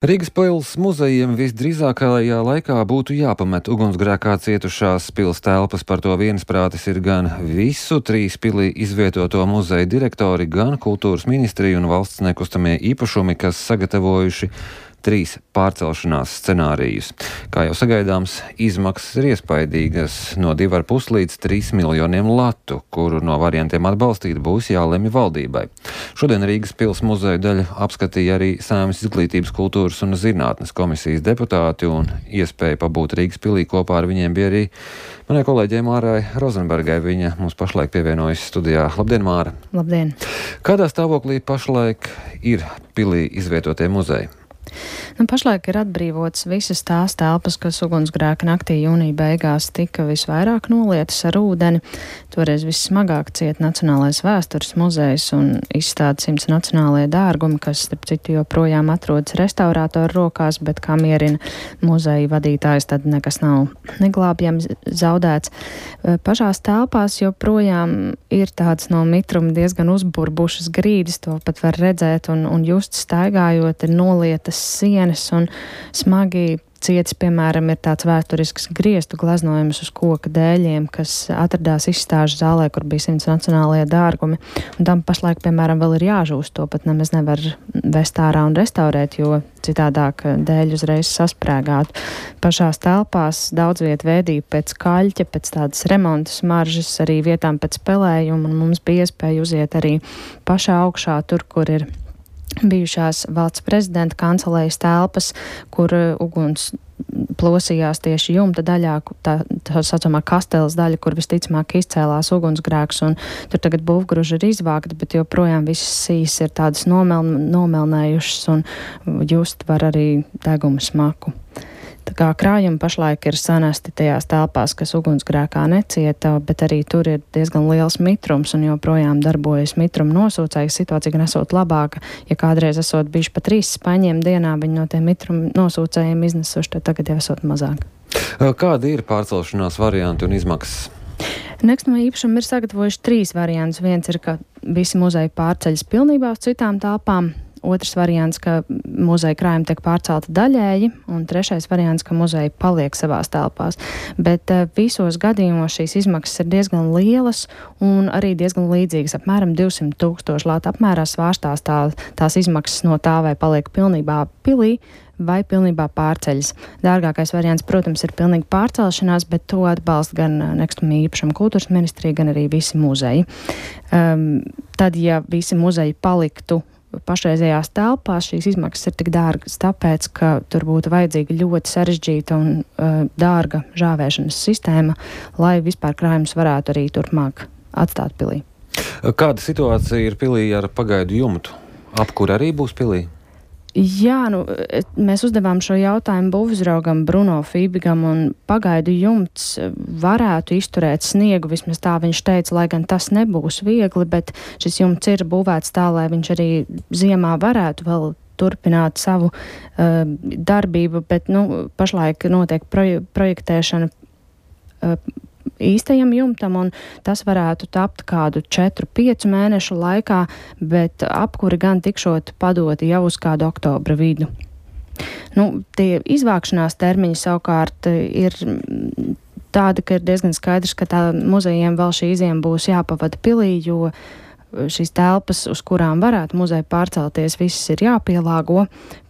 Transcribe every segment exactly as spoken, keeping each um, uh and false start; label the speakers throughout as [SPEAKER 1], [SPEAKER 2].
[SPEAKER 1] Rīgas pils muzejiem visdrīzākajā laikā būtu jāpamet ugunsgrēkā cietušās pils telpas. Par to viensprātis ir gan visu trīs pilī izvietoto muzeju direktori, gan kultūras ministrija un valsts nekustamie īpašumi, kas sagatavojuši trīs pārcelšanās scenārijus. Kā jau sagaidāms, izmaksas ir iespaidīgas – no divi ar pus līdz trīs miljoniem latu, kuru no variantiem atbalstīt būs jālemj valdībai. Šodien Rīgas pils muzeju daļu apskatīja arī Saeimas Izglītības, kultūras un zinātnes komisijas deputāti, un iespēja pabūt Rīgas pilī kopā ar viņiem bija arī manai kolēģei Mārai Rozenbergai. Viņa mums pašlaik pievienojas studijā. Labdien, Māra!
[SPEAKER 2] Labdien!
[SPEAKER 1] Kādā stāvoklī pašlaik ir pilī izvietotie muzeji?
[SPEAKER 2] Nu, pašlaik ir atbrīvotas visas tās telpas, kas ugunsgrēka naktī jūnija beigās tika visvairāk nolietas ar ūdeni. Toreiz vissmagāk ciet Nacionālais vēstures muzejs un izstāda simts nacionālie dārgumi, kas, starp citu, joprojām atrodas restaurātoru rokās, bet kā mierina muzeja vadītājs, tad nekas nav neglābjams zaudēts. Pašās telpās joprojām ir tāds no mitruma diezgan uzburbušas grīdas, to pat var redzēt un, un just staigājot, ir nolietas sienas un smagi cietis, piemēram, ir tāds vēsturisks griestu glaznojums uz koka dēļiem, kas atradās izstāžu zālē, kur bija simts nacionālie dārgumi. Un tam pašlaik, piemēram, vēl ir jāžūst, to pat nemaz nevar vest ārā un restaurēt, jo citādāk dēļi uzreiz sasprēgātu. Pašās telpās daudz viet vēdīja pēc kaļķa, pēc tādas remonta smaržas, arī vietām pēc spēlējuma, un mums bija iespēja uziet arī pašā augšā, tur, kur ir bijušās valsts prezidenta kancelējas telpas, kur uguns plosījās tieši jumta daļā, tā, tā saucamā kasteles daļa, kur visticamāk izcēlās ugunsgrēks, un tur tagad būvgruži ir izvākti, bet joprojām visas sīs ir tādas nomel, nomelnējušas, un just var arī deguma smaku. Tā kā krājumi pašlaik ir sanesti tajās telpās, kas ugunsgrēkā necieta, bet arī tur ir diezgan liels mitrums un joprojām darbojas mitruma nosūcēji. Situācija gan esot labāka, ja kādreiz esot bijuši pa trīs spaņiem dienā, viņi no tiem mitruma nosūcējiem iznesuši, tad tagad jau esot mazāk.
[SPEAKER 1] Kādi ir pārcelšanās varianti un izmaksas?
[SPEAKER 2] Nekustamie īpašumi ir sagatavojuši trīs variantus. Viens ir, ka visi muzeji pārceļas pilnībā uz citām telpām. Otrs variants, ka muzeja krājumi tiek pārcelti daļēji, un trešais variants, ka muzeja paliek savās telpās. Bet uh, visos gadījumos šīs izmaksas ir diezgan lielas un arī diezgan līdzīgas. Apmēram divsimt tūkstoši latu apmērā svārstās tā, tās izmaksas no tā, vai paliek pilnībā pilī vai pilnībā pārceļas. Dārgākais variants, protams, ir pilnīgi pārcelšanās, bet to atbalsta gan nekustamie īpašumi kultūras ministrija, gan arī visi muzeji. Um, tad, ja visi muzeji paliktu pašreizējās telpās, šīs izmaksas ir tik dārgas, tāpēc, ka tur būtu vajadzīga ļoti sarežģīta un uh, dārga žāvēšanas sistēma, lai vispār krājumus varētu arī turpmāk atstāt pilī.
[SPEAKER 1] Kāda situācija ir pilī ar pagaidu jumtu? Apkur arī būs pilī?
[SPEAKER 2] Jā, nu, mēs uzdevām šo jautājumu būvuzraugam Bruno Fībigam, un pagaidu jumts varētu izturēt sniegu, vismaz tā viņš teica, lai gan tas nebūs viegli, bet šis jumts ir būvēts tā, lai viņš arī ziemā varētu vēl turpināt savu uh, darbību, bet, nu, pašlaik notiek proje, projektēšana uh, īstajam jumtam, un tas varētu tapt kādu četru piecu mēnešu laikā, bet apkuri gan tikšot padoti jau uz kādu oktobra vidu. Nu, tie izvākšanās termiņi savukārt ir tādi, ka ir diezgan skaidrs, ka tā muzejiem vēl šī iziema būs jāpavada pilī, jo šīs telpas, uz kurām varētu muzeja pārcelties, visas ir jāpielāgo.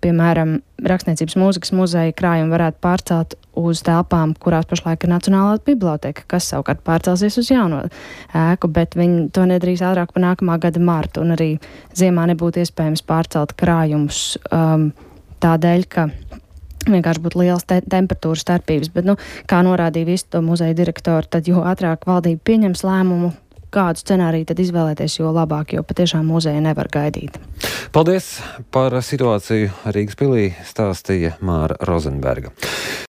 [SPEAKER 2] Piemēram, Rakstniecības mūzikas muzeja krājumi varētu pārcelt uz telpām, kurās pašlaik ir Nacionālā biblioteka, kas savukārt pārcelsies uz jauno ēku, bet viņi to nedarīs ātrāk par nākamā gada martu, un arī ziemā nebūtu iespējams pārcelt krājumus um, tādēļ, ka vienkārši būtu liels te temperatūras starpības, bet, nu, kā norādīja visu to muzeja direktori, tad jo ātrāk valdība pieņems lēmumu, kādu scenāriju tad izvēlēties, jo labāk, jo patiešām muzeja nevar gaidīt.
[SPEAKER 1] Paldies par situāciju Rīgas pilī, stāstīja Māra Rozenberga.